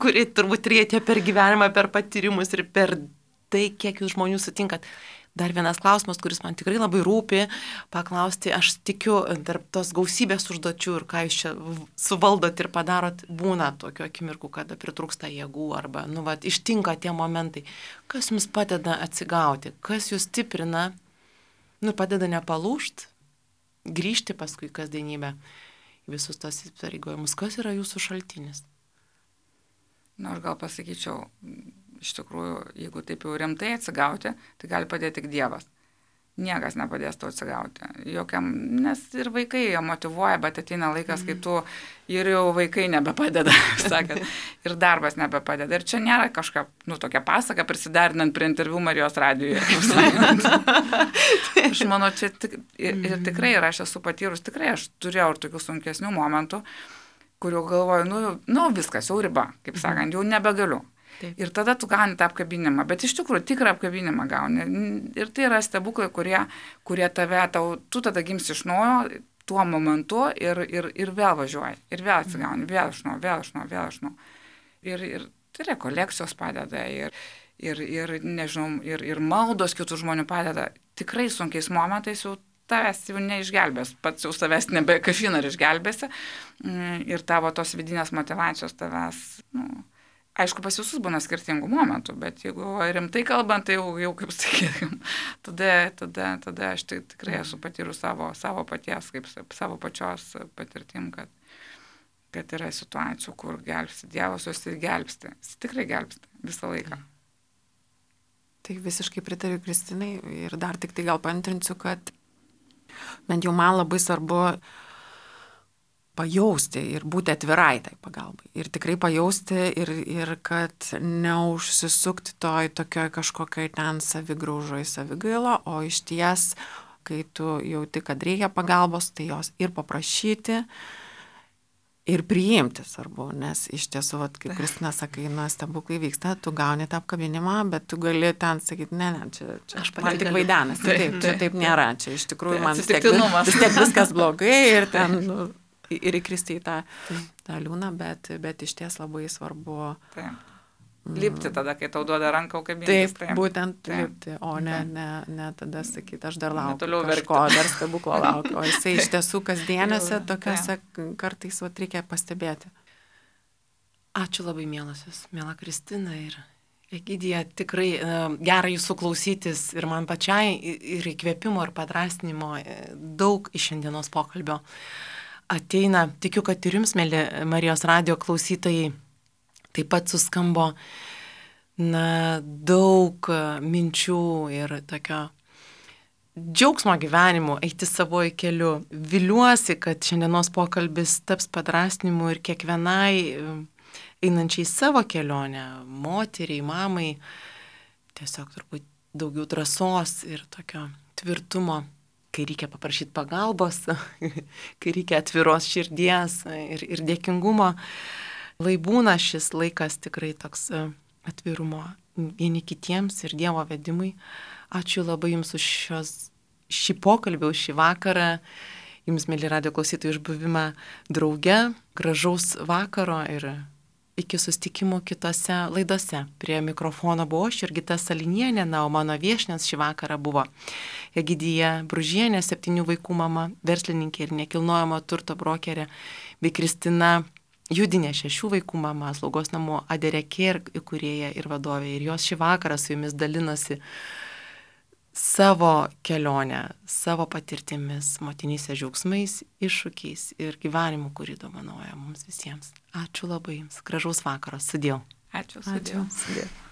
kuri turbūt turėjote per gyvenimą, per patyrimus ir per tai, kiek Jūs žmonių sutinkat. Dar vienas klausimas, kuris man tikrai labai rūpi, paklausti, aš tikiu, tarp tos gausybės užduočių ir ką Jūs čia suvaldot ir padarot, būna tokių akimirkų, kada pritrūksta jėgų arba, nu, va, ištinka tie momentai. Kas Jums padeda atsigauti, kas Jūs stiprina, nu, padeda nepalūžt, grįžti paskui kasdienybę į visus tos įpareigojimus. Kas yra Jūsų šaltinis? Na, aš gal pasakyčiau, iš tikrųjų, jeigu taip jau rimtai atsigauti, tai gali padėti tik Dievas. Niekas nepadės to atsigauti. Jokiam, nes ir vaikai jie motyvuoja, bet ateina laikas, kai tu ir jau vaikai nebepadeda, sakant, ir darbas nebepadeda. Ir čia nėra kažką, nu, tokia pasaka prisidarinant prie interviu Marijos radijoje, kaip sakant. Aš manau, čia tik, ir, ir tikrai, ir aš esu patyrus, tikrai aš turėjau ir tokių sunkesnių momentų, kuriuo galvoju, nu, nu viskas, jau riba, kaip sakant, jau nebegaliu. Taip. Ir tada tu gauni tą apkabinimą, bet iš tikrųjų tikrą apkabinimą gauni. Ir tai yra stebuklai, kurie, kurie tave, tau, tu tada gimsi iš naujo tuo momentu ir, ir, ir vėl važiuoji. Ir vėl atsigauni, vėl iš naujo, vėl iš naujo, vėl iš naujo. Ir, ir tai rekolekcijos padeda, ir, ir, ir nežinau, ir, ir maldos kitų žmonių padeda. Tikrai sunkiais momentais jau tavęs jau neišgelbės, pats jau savęs nebe kažin ar išgelbėsi. Ir tavo tos vidinės motyvacijos tavęs, nu, aišku, pas visus būna skirtingų momentų, bet jeigu rimtai kalbant, tai jau, jau kaip sakykime, tada, tada, tada aš tai tikrai esu patyrus savo, savo paties, kaip savo pačios patirtim, kad, kad yra situacijų, kur gelbsti Dievas, jos ir gelbsti. Jis tikrai gelbsti visą laiką. Tai visiškai pritariu Kristinai ir dar tik tai gal paantrinsiu, kad bent jau man labai svarbu pajausti ir būti atvirai tai pagalbai. Ir tikrai pajausti ir, ir kad neužsisukti toj tokioj kažkokioj ten savigraužoj, savigailo, o iš ties, kai tu jauti, kad reikia pagalbos, tai jos ir paprašyti, ir priimti svarbu, nes iš tiesų, vat, kaip Kristina sakai, nu, stebuklai vyksta, tu gauni tą apkabinimą, bet tu gali ten sakyti, ne, ne, čia, čia aš man tik vaidenas, taip, taip, čia taip nėra, čia iš tikrųjų man vis tiek, vis tiek viskas blogai ir ten, nu, ir įkristi į tą, tą liūną, bet, bet iš ties labai svarbu. Taip. Lipti tada, kai tau duoda ranką kabintis. Taip, taip, būtent taip. Lipti, o ne, ne, ne tada sakyti, aš dar laukiu kažko, dar stebuklo laukiu. O jisai iš tiesų kasdienėse tokiuose kartais vat, reikia pastebėti. Ačiū labai, mielosios, miela Kristina ir Egidija, tikrai uh, gera jūsų klausytis ir man pačiai ir įkvėpimo ir padrasnimo daug iš šiandienos pokalbio ateina. Tikiu, kad ir jums, mėly Marijos radijo klausytojai, taip pat suskambo na, daug minčių ir tokio džiaugsmo gyvenimu, eiti savoju keliu. Viliuosi, kad šiandienos pokalbis taps padrasnimu ir kiekvienai einančiai savo kelionę, moteriai, mamai, tiesiog turbūt daugiau drąsos ir tokio tvirtumo kai reikia paprašyti pagalbos, kai reikia atviros širdies ir, ir dėkingumo. Lai būna šis laikas tikrai toks atvirumo vieni kitiems ir Dievo vedimui. Ačiū labai Jums už šios, šį pokalbį, už šį vakarą. Jums, mėly radijo klausytojai, už buvimą drauge. Gražaus vakaro ir iki susitikimų kitose laidose. Prie mikrofono buvau aš, Jurgita Salinienė, na, o mano viešnios šį vakarą buvo Egidija Bružienė, septynių vaikų mama, verslininkė ir nekilnojamo turto brokerė, bei Kristina Judinė, šešių vaikų mama, slaugos namų Aderekė įkūrėja ir vadovė. Ir jos šį vakarą su jumis dalinosi savo kelionę, savo patirtimis, motinystės džiaugsmais, iššūkiais ir gyvenimu, kurį dovanoja mums visiems. Ačiū labai Jums. Gražaus vakaro. Sudėjau. Ačiū. Sudėjau. Ačiū. Sudėjau.